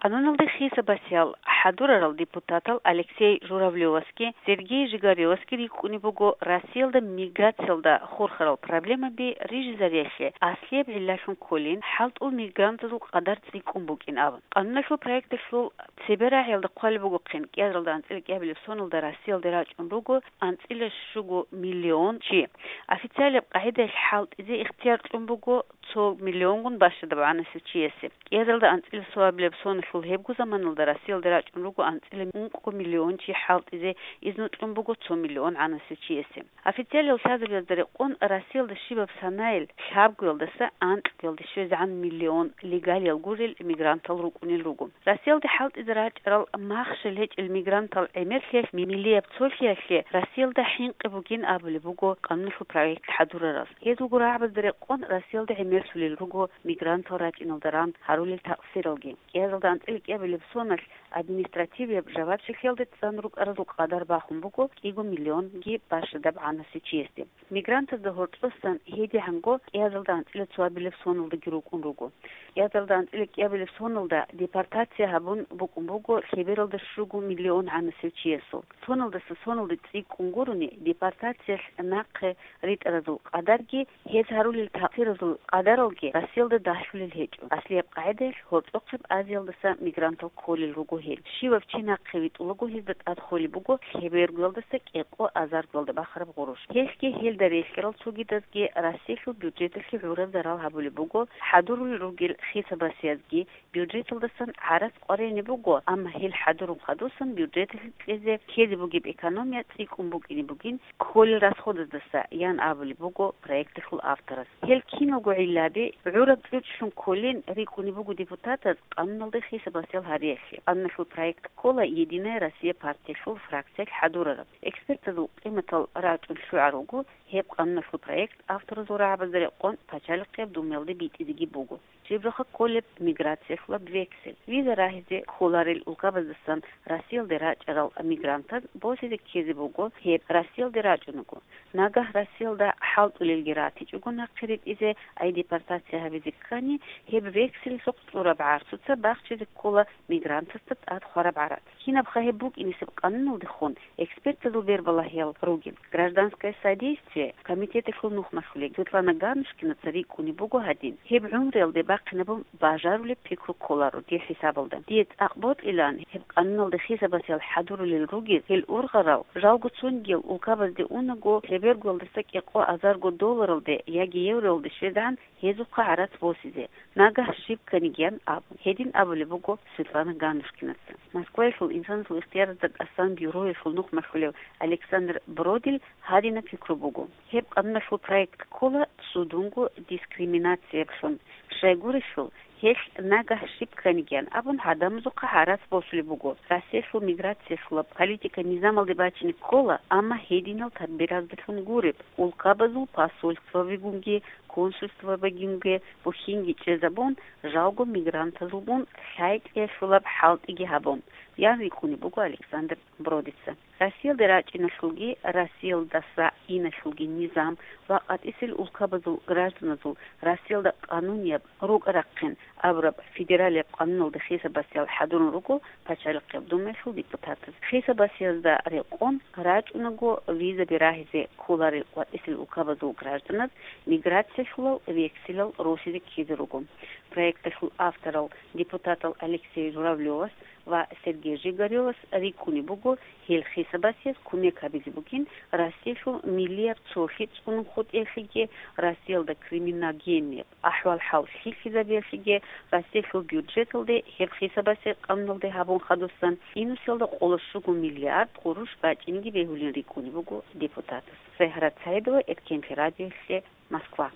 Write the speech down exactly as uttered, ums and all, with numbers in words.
Къануналде хисабасиял хӀадурарал депутатал Алексей Журавлевасги Сергей Жигаревасги рикӀкӀунеб буго Россиялда миграциялда хурхарал проблемаби рижизариялъе аслияб гӀиллалъун кколин, хӀалтӀул мигрантазул къадар цӀикӀкӀун букӀин абун. Къануналъул проекталъул цебе рагӀиялда хъвалеб бугохъин, кӀиазаралда анцӀила кӀиабилеб соналда Россиялде рачӀун руго анцӀила щуго миллион чи. Официалияб къагӀидаялъ хӀалтӀизе ихтияр кьун буго цо миллионгун бащадаб гӀанасев чиясе. КӀиазаралда анцӀила цоабилеб соналъул гьебго заманалда Россиялде рачӀун руго анцӀила ункъго миллион чи хӀалтӀизе, изну кьун буго цо миллион гӀанасев чиясе. Официалиял лъазабазда рекъон Россиялда щибаб санаялъ лъабгоялдаса анкьгоялде щвезегӀан миллион легалиял гурел мигрантал рукӀунел руго. Россиялде хӀалтӀизе рачӀарал махщел гьечӀел мигрантал гӀемерлъиялъ, миллияб цолъиялъе Россиялда хӀинкъи бугин абулеб буго къануналъул проект хӀадурарас. Гьезулго рагӀабазда рекъон Россиялда гӀемерлъулел руго мигрантал рачӀиналда ран гьарулел такъсиралги. КӀиазалда анцӀила кӀиабилеб соналъ административияб жавабчилъиялде цӀан рукӀаразул къадар бахун буго кӀиго миллионги бащадаб гӀанасев чиясде. Мигрантазда гьоркьосан гьедигӀанго кӀиазалда анцӀила цоабилеб соналдаги рукӀун руго. КӀиазалда анцӀила кӀиабилеб соналда депортация гьабун букӀун буго лъебералда щуго миллион гӀанасев чиясул. Соналдаса соналде цӀикӀкӀун гурони, депортациялъ нахъе ритӀаразул къадарги, гьез гьарулел такъсиразул къадаралги Россиялда дагьлъулел гьечӀо. Аслияб къагӀидаялъ гьоркьохъеб Азиялдаса мигрантал кколел руго гьел. Щивав чи нахъе витӀулаго, гьезда тӀад холеб буго лъебергоялдаса кӀикъоялда азаргоялда бахараб гъурущ. Гьелъги гьелда релълъарал цогидазги Россиялъул бюджеталъе гӀураб зарал гьабулеб буго, хӀадурулел ругел хисабасиязги, бюджеталдасан гӀарац къваригӀунеб буго, амма гьел хӀадурун хадусан бюджеталъе кьезе ккезе бугеб экономия цӀикӀкӀун букӀине бугин кколел расходаздаса, ян абулеб буго проекталъул авторас. Гьел киналго гӀиллаби гӀураб чӀучӀлъун кколин рикӀкӀунеб буго депутатаз къануналде хисабасел гьариялъе. Къануналъул проект ккола «Единая Россия» партиялъул фракциялъ хӀадурараб. Экспертазул къиматал рачӀун лъугӀаралго, гьеб къануналъул проект авторазул рагӀабазда рекъон Пачалихъияб Думаялде битӀизеги буго. Жибраха кколеб миграциялъулаб вексель. Виза рагьизе кколарел улкабаздасан Россиялде рачӀарал мигрантаз босизе ккезе буго гьеб Россиялде рачӀунаго. Нагагь Россиялда хӀалтӀулелги ратичӀого нахъе ритӀизе, ай депортация гьабизе ккани, гьеб векселалъухъ цӀураб гӀарцуца бахчизе ккола мигрантасда тӀад хвараб гӀарац. Кинабха гьеб букӀинисеб къануналдехун экспертазул бербалагьиял ругел. «Гражданское содействие» комитеталъул нухмалъулел Светлана Ганнушкинаца рикӀкӀунеб буго гьадин: «Гьеб гӀумруялде бахъинабун бажарулеб пикру кколаро дир хӀисабалда. Дие цӀакъ бокьилаан гьеб къануналде хисабасел хӀадурулел ругел гьел ургъарал, жалго цонгиял улкабазде унаго, лъебергоялдаса кӀикъоялда азарго долларалде яги евроялде щвезегӀан гьезухъа гӀарац босизе, нагагь щиб кканигиян абун», — гьедин абулеб буго Светлана Ганнушкинаца. Москваялъул инсанасул ихтияразда тӀасан бюроялъул нухмалъулев Александр Бродил гьадинаб пикру буго: «Гьеб къануналъул проект ккола цудунго дискриминацияблъун, щайгурелъул гьелъ нагагь щиб кканигиян абун гӀадамазухъа гӀарац босулеб буго. Россиялъул миграциялъулаб политика низамалде бачине ккола, амма гьединал тадбираздалъун гуреб, улкабазул посольствабигунги, консульствабигунги бухьинги чӀезабун, жалго мигрантазулгун лъайтӀиялъулаб хӀалтӀиги гьабун», — ян рикӀкӀунеб буго Александр Бродица. Россиялде рачӀиналъулги, Россиялдаса иналъулги низам ва къватӀисел улкабазул гражданазул Россиялда къанунияб рукӀа-рахъин абураб федералияб къануналде хисабасиял хӀадурун руго Пачалихъияб Думаялъул депутатаз. Хисабасиязда рекъон рачӀунаго визаби рагьизе кколарел къватӀисел улкабазул гражданаз миграциялъулал векселал росизе ккезе руго. Проекталъул авторал депутатал Алексей Журавлевас ва Сергей Жигаревас рикӀкӀунеб буго гьел хисабасиялъ кумек гьабизе бугин Россиялъул миллияб цолъи цӀунун хутӀиялъеги, Россиялда криминогеннияб ахӀвал-хӀал лъикӀлъизабиялъеги, Россиялъул бюджеталде гьеб хисабасел къануналде гьабун хадусан инусиялда къоло щуго миллиард къурущ бачӀинеги бегьулин рикӀкӀунеб буго депутатас. Загьрат Саидова, Эркенлъи радиолъе, Москва.